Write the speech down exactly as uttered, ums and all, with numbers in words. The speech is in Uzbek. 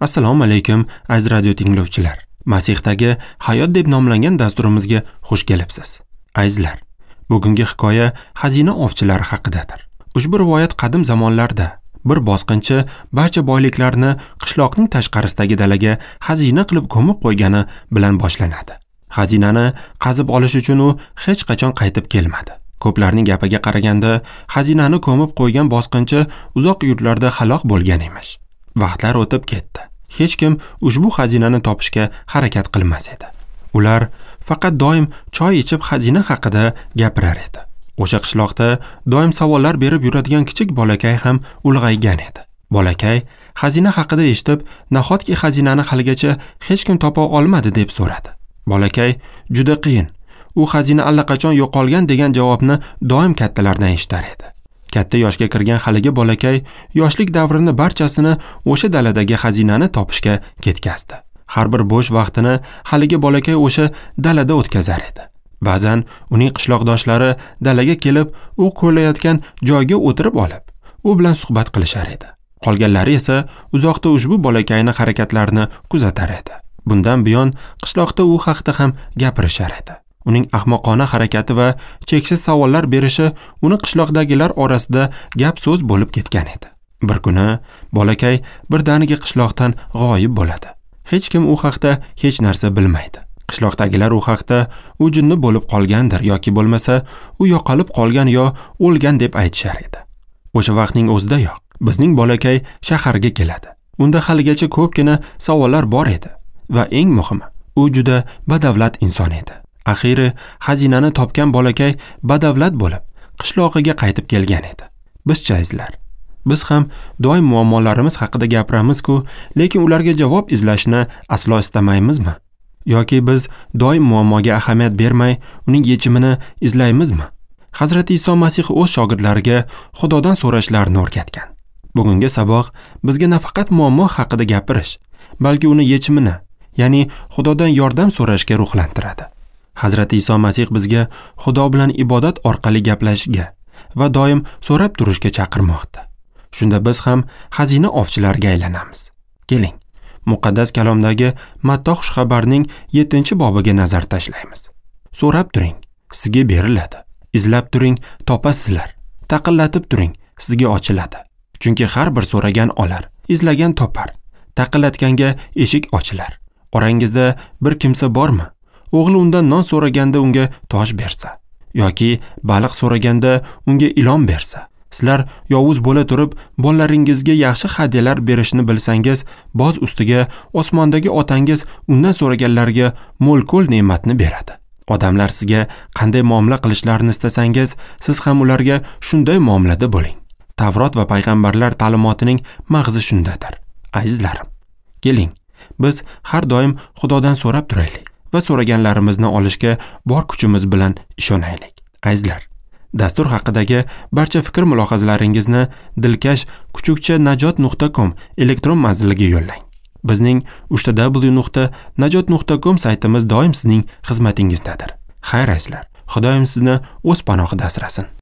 Assalomu alaykum aziz radio tinglovchilar. Masihdagi hayot deb nomlangan dasturimizga xush kelibsiz. Azizlar, bugungi hikoya xazina ovchilari haqidadir. Ushbu rivoyat qadim zamonlarda bir bosqinchi barcha boyliklarni qishloqning tashqarisidagi dalaga xazina qilib ko'mib qo'ygani bilan boshlanadi. Xazinani qazib olish uchun u hech qachon qaytib kelmadi. Ko'plarning gapiga qaraganda, xazinani ko'mib qo'ygan bosqinchi uzoq yurtlarda halok bo'lgan emish. Vaqtlar o'tib ketdi. Hech kim ushbu xazinani topishga harakat qilmas edi. Ular faqat doim choy ichib xazina haqida gapirar edi. O'sha qishloqda doim savollar berib yuradigan kichik bolakay ham ulg'aygan edi. Bolakay xazina haqida eshitib, nahotki xazinani haligacha hech kim topa olmadi deb so'radi. Bolakay juda qiyin. U xazina allaqachon yo'qolgan degan javobni doim kattalardan eshitar edi. Katta yoshga kirgan haligi bolakay yoshlik davrini barchasini o'sha daladagi xazinani topishga ketkazdi. Har bir bo'sh vaqtini haligi bolakay o'sha dalada o'tkazar edi. Ba'zan uning qishloqdoshlari dalaga kelib, u ko'layotgan joyga o'tirib olib, u bilan suhbat qilishar edi. Qolganlari esa uzoqda ushbu bolakayning harakatlarini kuzatar edi. Bundan buyon qishloqda u haqda ham gapirishar edi. Uning ahmoqona harakati va cheksiz savollar berishi uni qishloqdagilar orasida gap-so'z bo'lib ketgan edi. Bir kuni bolakay birdaniga qishloqdan g'oyib bo'ladi. Hech kim u haqda hech narsa bilmaydi. Qishloqdagilar u haqda u jinni bo'lib qolgandir yoki bo'lmasa u yo'qolib qolgan yo o'lgan deb aytishar edi. O'sha vaqtning o'zidayoq bizning bolakay shaharga keladi. Unda haligacha ko'pgina savollar bor edi va eng muhimi, u juda badavlat inson edi. Axiri xazinani topgan bolakay badavlat bo'lib qishlog'iga qaytib kelgan edi. Bizcha azizlar, biz ham doim muammolarimiz haqida gapiramiz-ku, lekin ularga javob izlashni aslo istamaymizmi? Yoki biz doim muammoga ahamiyat bermay, uning yechimini izlaymizmi? Hazrati Iso Masih o'z shogirdlariga Xudodan so'rashlarini o'rgatgan. Bugungi saboq bizga nafaqat muammo haqida gapirish, balki uni yechimini, ya'ni Xudodan yordam so'rashga ruhlantiradi. Hazrati Iso Masih bizga Xudo bilan ibodat orqali gaplashishga va doim so'rab turishga chaqirmoqda. Shunda biz ham xazina ovchilariga aylanamiz. Keling, muqaddas kalomdagi Matto xushxabarning yettinchi bobiga nazar tashlaymiz. So'rab turing, sizga beriladi. Izlab turing, topasizlar. Taqillatib turing, sizga ochiladi. Chunki har bir so'ragan olar, izlagan topar, taqillatganga eshik ochilar. Orangizda bir kimsa bormi? O'g'li undan non so'raganda unga tosh bersa yoki baliq so'raganda unga ilon bersa, sizlar yovuz bo'la turib bolalaringizga yaxshi hadyalar berishni bilsangiz, boz ustiga osmondagi otangiz undan so'raganlarga mo'l-ko'l ne'matni beradi. Odamlar sizga qanday muomala qilishlarini istasangiz, siz ham ularga shunday muomalada bo'ling. Tavrot va payg'ambarlar ta'limotining mag'zi shundadir. Azizlarim, keling, biz har doim Xudodan so'rab turaylik va so'raganlarimizni olishga bor kuchimiz bilan ishonaylik. Azizlar, dastur haqidagi barcha fikr mulohazalaringizni dilkash kuchukcha najot nuqta com elektron manziliga yo'llang. Bizning uch ta w nuqta najot nuqta com saytimiz doim sizning xizmatingizdadir. Xayr azizlar, Xudoyim sizni o'z panohida asrasin.